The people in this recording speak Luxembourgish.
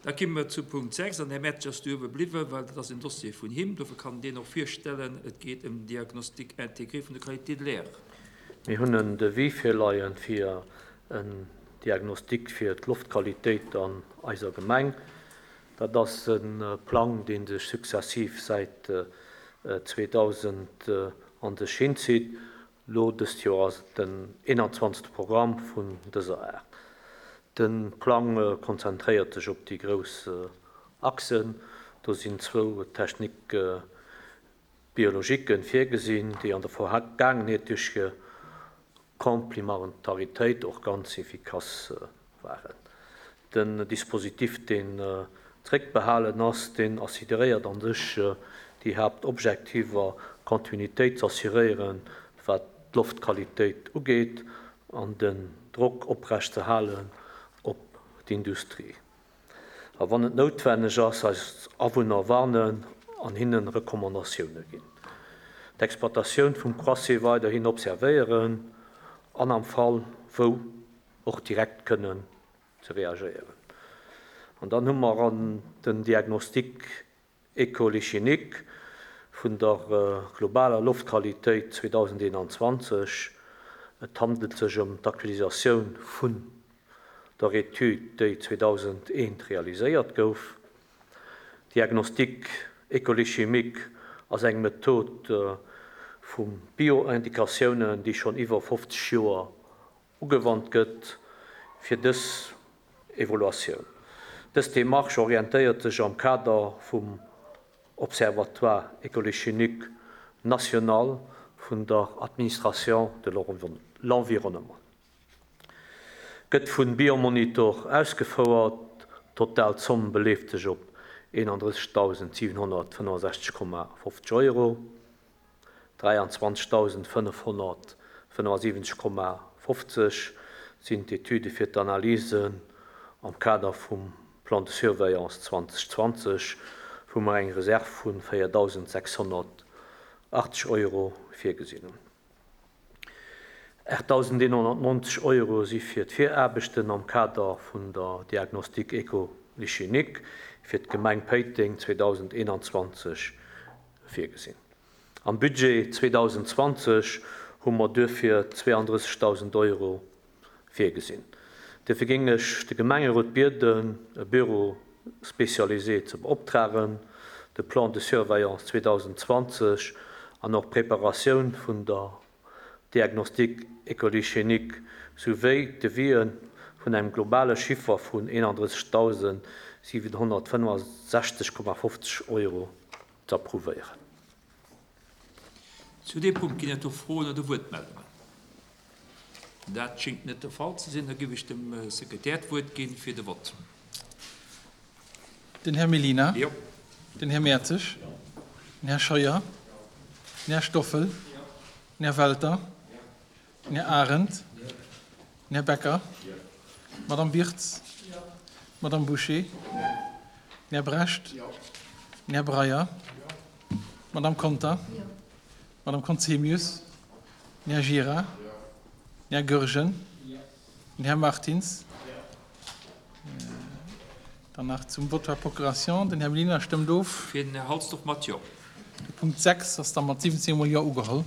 Da komme mer zu Punkt 6, an Här Mertsch ass do uewe bliwwen, well dat ass en Dossier vun him, dofir kann en deen och virstellen. Et geet ëm den Diagnostic intégré vun der Qualité de l'air. Mir hunn en Devis virleien fir en Diagnostic fir d'Loftqualitéit an eiser Gemeng. Dat ass e Plang, dee sech successiv säit 2000 an sech hinzitt. Lo dëst Joer ass et den 21. Programm vun dëser Aart. De Plang konzentréiert sech op déi grouss Achsen. Do sinn zwou Techniques biologiques virgesinn, déi an der Vergaangenheet duerch hir Complementaritéit och ganz efficace waren. Den Dispositif, deen zréckbehalen ass, deen assideréiert a sech déi Haaptobjektiver, Continuitéit z'assuréieren, wat d'Loftqualitéit ugeet, an den Drock oprecht ze halen op d'Industrie. A wann et noutwenneg ass, eis Awunner warnen an hinnen Recommandatioune ginn. D'Exploitatioun vum Croisset weiderhin observéieren an am Fall wou och direkt kënnen ze reagéieren. An dann hu mer an den Diagnostic écolychimique vun der globaler Loftqualitéit 2021, et handelt sech ëm d'Aktualisatioun vun der Etüd, déi 2001 realiséiert gouf. Diagnostic écolychimique ass eng Method vu Bioindikatiounen, déi schonn iwwer 50 Joer ugewannt gëtt fir dës Evaluatioun. Dës Demarche orientéiert sech am Kader vum Observatoire écolychimique national vun der Administration de l'environnement. Gëtt vun Biomonitor ausgefouert. D'total Zomm beleeft sech op 31.765,50 Euro. 23.575,50 sinn d'Etüde fir d'Analysen am Kader vum Plan de surveillance 2020, wou mer eng Reserv vu 4.680 Euro virgesinn hunn. 8.190 Euro si fir d'Viraarbechten am Kader vun der Diagnostic écolychimique fir d'Gemeng Péiteng 2021 virgesinn. Am Budget 2020 hu mer duerfir 32.000 Euro virgesinn. Duerfir géing ech de Gemengerot bieden, e Bureau spécialisé ze beoptragen, de Plan de surveillance 2020 an och d'Preparatioun vun der Diagnostic écolychénique souwéi d'Devisë vun engem globale Chiffer vun 31.765,50 Euro z'approuvéieren. Zu deem Punkt ginn et do Froen oder Wuertmeldungen? Dat schéngt net de Fall ze sinn. Da géif ech dem Sekretär d'Wuert ginn fir de Vott. Den Här Mellina. Jo. Den Här Mertzig. Den Här Scheuer. Den Här Stoffel. Den Här Welter. Den Här Arendt. Den Här Becker. D'Madame Birtz. D'Madame Bouché. Den Här Brecht. Den Här Breyer. D'Madame Conter. D'Madame Conzemius. Den Här Gira. Den Här Goergen. Den Här Martins. Dann nach zum Vote par procuration. Den Här Mellina stëmmt of. Fir den Här Halsdorf mat Jo. De Punkt 6 ass da mat 17 mol Jo ugeholl.